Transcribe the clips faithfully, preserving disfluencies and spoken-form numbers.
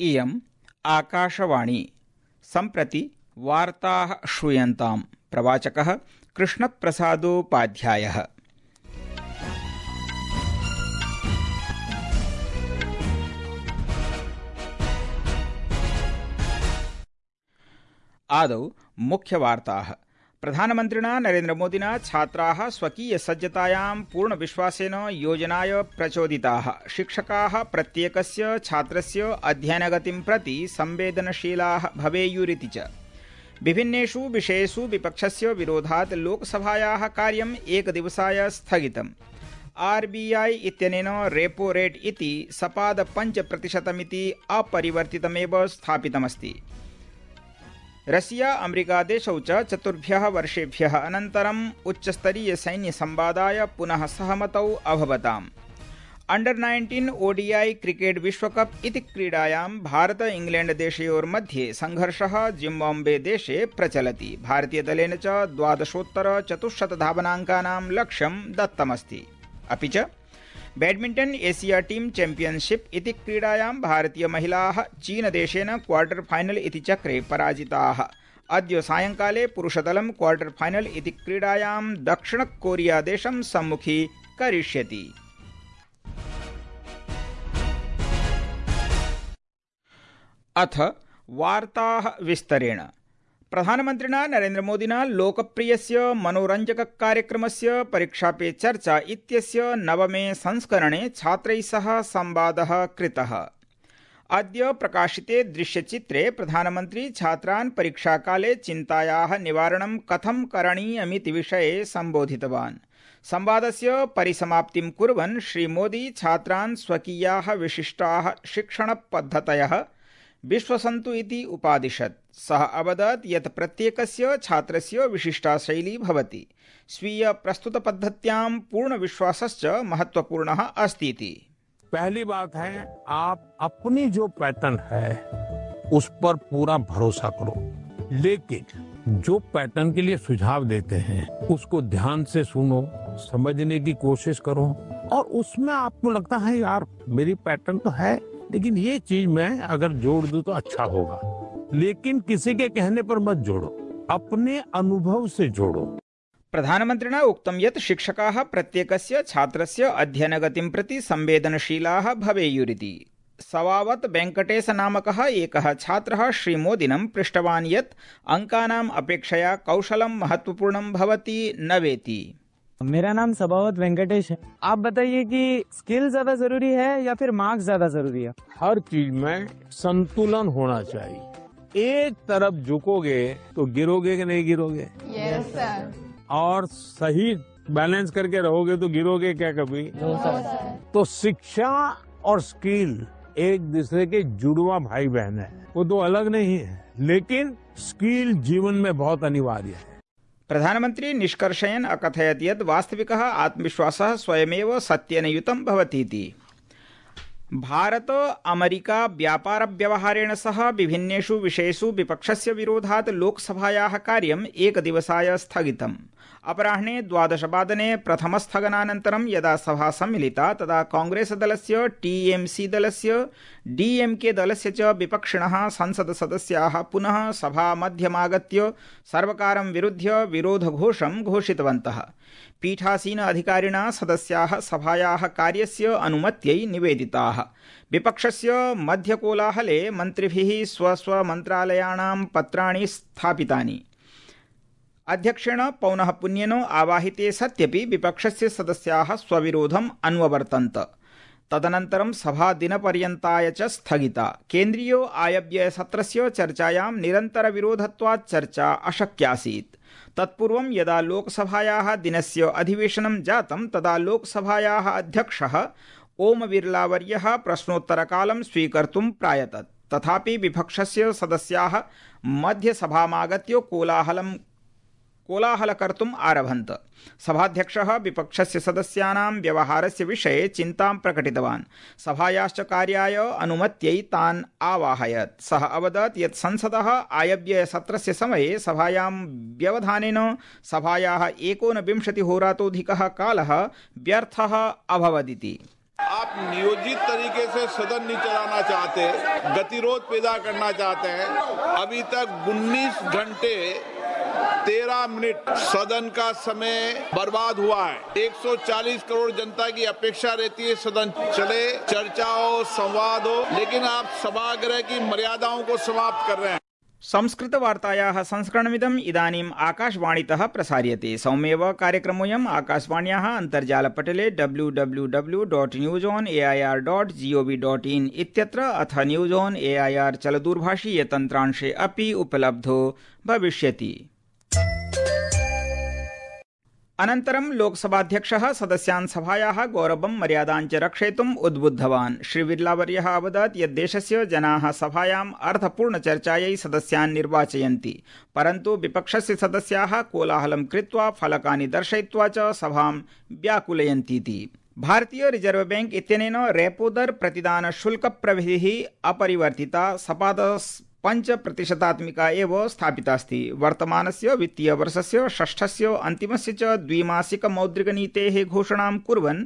इयम् आकाशवाणी। सम्प्रति वार्ताः श्रूयन्ताम्। प्रवाचकः कृष्णप्रसादोपाध्यायः। आदौ मुख्यवार्ताः। प्रधानमन्त्रिणा नरेन्द्रमोदिना छात्राः स्वकीयसज्जतायां पूर्णविश्वासेन योजनाय प्रचोदिताः। शिक्षकाः प्रत्येकस्य छात्रस्य अध्ययनगतिं प्रति संवेदनशीलाः भवेयुरिति च। विभिन्नेषु विषयेषु विपक्षस्य विरोधात् लोकसभायाः कार्यम् एकदिवसाय स्थगितम्। आरबीआई इत्यनेन रेपो रेट इति सपाद पञ्च प्रतिशतमिति अपरिवर्तितमेव स्थापितमस्ति। रशिया अमेरिका देशौ च चतुर्भ्यः वर्षेभ्यः अनन्तरम् उच्चस्तरीय सैन्यसंवादाय पुनः सहमतौ अभवताम्। अंडर नाइन्टीन ओडीआई क्रिकेट विश्वकप इति क्रीडायां भारत इंग्लैंड देशयोर्मध्ये संघर्षः जिम्बाब्वे देशे प्रचलति। भारतीयदलेन च द्वादशोत्तर चतुश्शत धावनाङ्कानां लक्ष्यं दत्तमस्ति। अपि च बैडमिण्टन एशिया टीम चैम्पियनशिप इति क्रीडायां भारतीयमहिलाः चीनदेशेन क्वार्टर फाइनल इति चक्रे पराजिताः। अद्य सायंकाले पुरुषदलं क्वार्टर फाइनल इति क्रीडायां दक्षिणकोरियादेशं सम्मुखीकरिष्यति। अथ वार्ताः विस्तरेण। प्रधानमन्त्रिणा नरेन्द्रमोदिना लोकप्रियस्य मनोरञ्जककार्यक्रमस्य परीक्षा पे चर्चा इत्यस्य नवमे संस्करणे छात्रैः सह संवादः कृतः। अद्य प्रकाशिते दृश्यचित्रे प्रधानमन्त्री छात्रान् परीक्षाकाले चिन्तायाः निवारणं कथं करणीयमिति विषये सम्बोधितवान्। संवादस्य परिसमाप्तिं कुर्वन् श्रीमोदी छात्रान् स्वकीयाः विशिष्टाः शिक्षणपद्धतयः विश्वसन्तु इति उपादिशत्। सः अवदत् यत् प्रत्येकस्य छात्रस्य विशिष्टा शैली भवति। स्वीय प्रस्तुतपद्धत्यां पूर्णविश्वासश्च महत्वपूर्णः अस्ति इति। पहली बात है, आप अपनी जो पैटर्न है उस पर पूरा भरोसा करो, लेकिन जो पैटर्न के लिए सुझाव देते हैं उसको ध्यान से सुनो, समझने की कोशिश करो, और उसमें आपको लगता है यार मेरी पैटर्न तो है लेकिन ये चीज मैं अगर जोड़ दूं तो अच्छा होगा, लेकिन किसी के कहने पर मत जोड़ो, अपने अनुभव से जोड़ो। प्रधानमन्त्रिणा उक्तं यत् शिक्षकाः प्रत्येकस्य छात्रस्य अध्ययनगतिं प्रति संवेदनशीलाः भवेयुरिति। सवावत् वेङ्कटेश नामकः एकः छात्रः श्रीमोदिनं पृष्टवान् यत् अङ्कानाम् अपेक्षया कौशलं महत्वपूर्णं भवति न वेति। मेरा नाम सबावत वेंकटेश है। आप बताइए कि स्किल ज्यादा जरूरी है या फिर मार्क्स ज्यादा जरूरी है? हर चीज में संतुलन होना चाहिए। एक तरफ झुकोगे तो गिरोगे कि नहीं गिरोगे? यस सर। और सही बैलेंस करके रहोगे तो गिरोगे क्या कभी? नो सर। तो शिक्षा और स्किल एक दूसरे के जुड़वा भाई बहन है, वो तो अलग नहीं है, लेकिन स्किल जीवन में बहुत अनिवार्य है। प्रधानमन्त्री निष्कर्षयन् अकथयत् यत् वास्तविकः आत्मविश्वासः स्वयमेव सत्येन युतं भवतीति। भारत अमेरिका व्यापारव्यवहारेण सह विभिन्नेषु विषयेषु विपक्षस्य विरोधात् लोकसभायाः कार्यम् एकदिवसाय स्थगितम्। अपराह्णे द्वादशवादने प्रथमस्थगनानन्तरं यदा सभा सम्मिलिता तदा कांग्रेसदलस्य, टीएमसी दलस्य, डीएमके दलस्य च विपक्षिणः संसदसदस्याः पुनः सभामध्यमागत्य सर्वकारं विरुध्य विरोधघोषं घोषितवन्तः। पीठासीन अधिकारिणा सदस्याः सभायाः कार्यस्य अनुमत्यै निवेदिताः। विपक्षस्य मध्यकोलाहले मन्त्रिभिः स्वस्वमन्त्रालयाणां पत्राणि स्थापितानि। अध्यक्षेण पौनः पुन्येन आवाहिते सत्यपि विपक्षस्य सदस्याः स्वविरोधम् अन्ववर्तन्त। तदनन्तरं सभा दिनपर्यन्ताय च स्थगिता। केन्द्रीय आयव्ययसत्रस्य चर्चायां निरन्तरविरोधत्वात् चर्चा अशक्यासीत्। तत्पूर्वं यदा लोकसभायाः दिनस्य अधिवेशनं जातं तदा लोकसभायाः अध्यक्षः ओम बिर्लावर्यः प्रश्नोत्तरकालं स्वीकर्तुं प्रायतत्। तथापि विपक्षस्य सदस्याः मध्यसभामागत्य कोलाहलं कोलाहल कर्तुम् आरभन्त। सभाध्यक्षः विपक्षस्य सदस्यानां व्यवहारस्य विषये चिन्तां प्रकटितवान्। सभायाश्च कार्याय अनुमत्यै तान् आवाहयत्। सः अवदत् यत् संसदः आयव्ययसत्रस्य समये सभायां व्यवधानेन सभायाः एकोनविंशतिहोरातोऽधिकः कालः व्यर्थः अभवदिति। आप नियोजित तरीके से सदन नहीं चलाना चाहते, गतिरोध पैदा करना चाहते हैं। अभी तक उन्नीस घंटे तेरह मिनट सदन का समय बर्बाद हुआ है। एक सौ चालीस करोड़ जनता की अपेक्षा रहती है सदन चले, चर्चा हो, संवाद हो, लेकिन आप सभागृह की मर्यादाओं को समाप्त कर रहे हैं। संस्कृतवार्तायाः संस्करणमिदम् इदानीम् आकाशवाणीतः प्रसार्यते। सौम्येव कार्यक्रमोऽयम् आकाशवाण्याः अन्तर्जालपटले W W W dot news on A I R dot G O V dot in इत्यत्र अथ news on A I R चलदूरभाषीयतन्त्रांशे अपि उपलब्धो भविष्यति। अनन्तरं लोकसभाध्यक्षः सदस्यान् सभायाः गौरवं मर्यादां च रक्षयितुम् उद्बुद्धवान्। श्रीबिर्लावर्यः अवदत् यत् देशस्य जनाः सभायाम् अर्थपूर्णचर्चायै सदस्यान् निर्वाचयन्ति, परन्तु विपक्षस्य सदस्याः कोलाहलं कृत्वा फलकानि दर्शयित्वा च सभां व्याकुलयन्तीति। भारतीय रिजर्व बैंक इत्यनेन रेपो दर प्रतिदान शुल्क प्रविधिः अपरिवर्तिता सपाद पंच प्रतिशतात्मिका एव स्थापितास्ति। वर्तमानस्य वित्तीय वर्षस्य षष्ठस्य अन्तिमस्य च द्विमासिक मौद्रिकनीतेः घोषणां कुर्वन्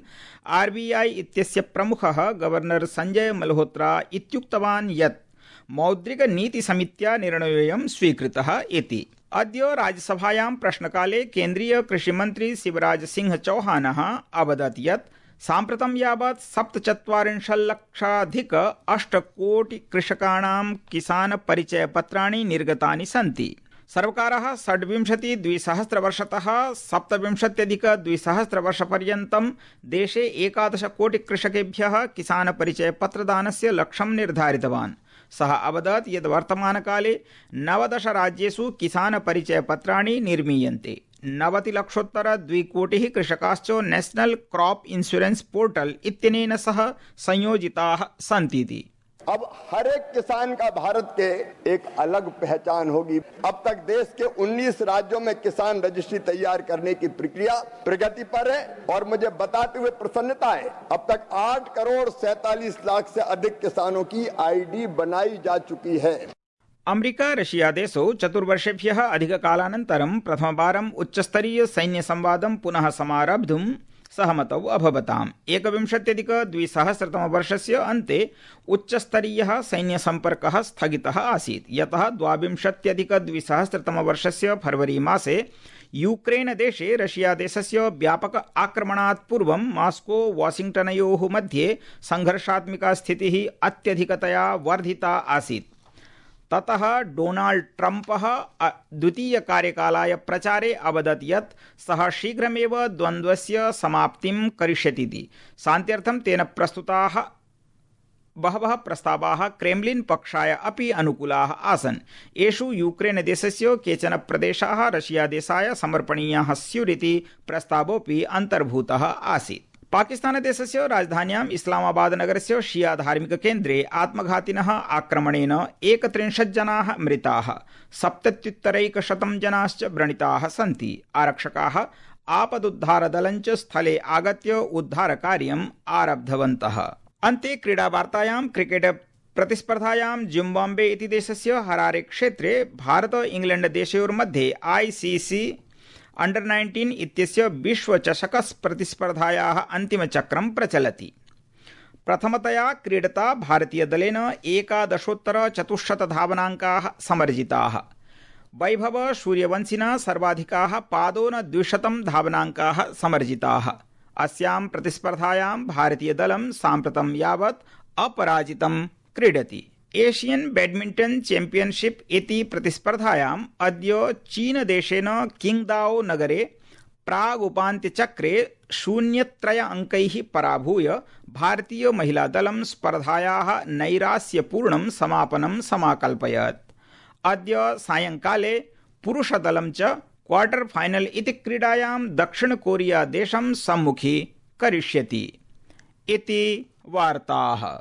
आर् बी ऐ इत्यस्य प्रमुखः गवर्नर संजय मल्होत्रा इत्युक्तवान् यत् मौद्रिकनीतिसमित्या निर्णयोऽयं स्वीकृतः इति। अद्य राज्यसभायां प्रश्नकाले केन्द्रीय कृषिमन्त्री शिवराज सिंह चौहानः अवदत् यत् साम्प्रतं यावत् सप्तचत्वारिंशल्लक्षाधिक अष्टकोटि कृषकाणां किसान परिचय पत्राणि निर्गतानि सन्ति। सर्वकारः षड्विंशति द्विसहस्रवर्षतः सप्तविंशत्यधिक द्विसहस्रवर्षपर्यन्तं देशे एकादश कोटि कृषकेभ्यः किसान परिचय पत्रदानस्य लक्ष्यं निर्धारितवान्। सः अवदत् यत् वर्तमानकाले नवदश राज्येषु किसान परिचय पत्राणि निर्मीयन्ते। नवतिलक्षोत्तर द्विकोटिः कृषकाश्च नेशनल क्रॉप इंश्योरेंस पोर्टल इत्यनेन सह संयोजिताः सन्तीति। अब हर एक किसान का भारत के एक अलग पहचान होगी। अब तक देश के उन्नीस राज्यों में किसान रजिस्ट्री तैयार करने की प्रक्रिया प्रगति पर है और मुझे बताते हुए प्रसन्नता है, अब तक आठ करोड़ सैतालीस लाख से अधिक किसानों की आईडी बनाई जा चुकी है। अमेरिका रशिया देशौ चतुर्वर्षेभ्यः अधिककालानन्तरं प्रथमवारम् उच्चस्तरीय सैन्यसंवादं पुनः समारब्धुं सहमतौ अभवताम्। एकविंशत्यधिक द्विसहस्रतमवर्षस्य अन्ते उच्चस्तरीयः सैन्यसम्पर्कः स्थगितः आसीत्, यतः द्वाविंशत्यधिक द्विसहस्रतमवर्षस्य फरवरी मासे यूक्रेन देशे रशिया देशस्य व्यापक आक्रमणात् पूर्वं मास्को वाशिंग्टनयोः मध्ये संघर्षात्मिका स्थितिः अत्यधिकतया वर्धिता आसीत्। ततः डोनाल्ड ट्रम्पः द्वितीय कार्यकालाय प्रचारे अवदत् यत् सः शीघ्रमेव द्वन्द्वस्य समाप्तिं करिष्यतीति। शान्त्यर्थं तेन प्रस्तुताः बहवः प्रस्तावाः क्रेम्लिन् पक्षाय अपि अनुकूलाः आसन्। एषु यूक्रेन देशस्य केचन प्रदेशाः रशिया देशाय समर्पणीयाः स्युरिति प्रस्तावोऽपि अन्तर्भूतः आसीत्। पाकिस्तान देशस्य राजधान्याम् इस्लामाबाद नगरस्य शिया धार्मिक केन्द्रे आत्मघातिनः आक्रमणेन एकत्रिंशत् जनाः मृताः, सप्तत्युत्तरैकशतं जनाश्च व्रणिताः सन्ति। आरक्षकाः आपदुद्धारदलञ्च स्थले आगत्य उद्धारकार्यम् आरब्धवन्तः। अन्ते क्रीडावार्तायां क्रिकेट प्रतिस्पर्धायां जिम्बाब्वे इति देशस्य हरारे क्षेत्रे भारत इंग्लैंड देशयोर्मध्ये आईसीसी अंडर नाइन्टीन इत्यस्य विश्वचषक प्रतिस्पर्धायाः अन्तिमचक्रं प्रचलति। प्रथमतया क्रीडता भारतीयदलेन एकादशोत्तर चतुश्शत धावनाङ्काः समर्जिताः। वैभव सूर्यवंशिना सर्वाधिकाः पादोन द्विशतं धावनाङ्काः समर्जिताः। अस्यां प्रतिस्पर्धायां भारतीयदलं साम्प्रतं यावत् अपराजितं क्रीडति। एशियन बैडमिंटन चैंपियनशिप इति प्रतिस्पर्धायाम् अद्य चीनदेशेन किंगदाओ नगरे प्रागुपान्त्यचक्रे शून्यत्रय अंकैः पराभूय भारतीय महिलादलं स्पर्धायाः नैरास्यपूर्णं समापनं समाकल्पयत्। अद्य सायंकाले पुरुषदलं च क्वार्टर फाइनल इति क्रीडायां दक्षिण कोरिया देशं सम्मुखी करिष्यति। इति वार्ताः।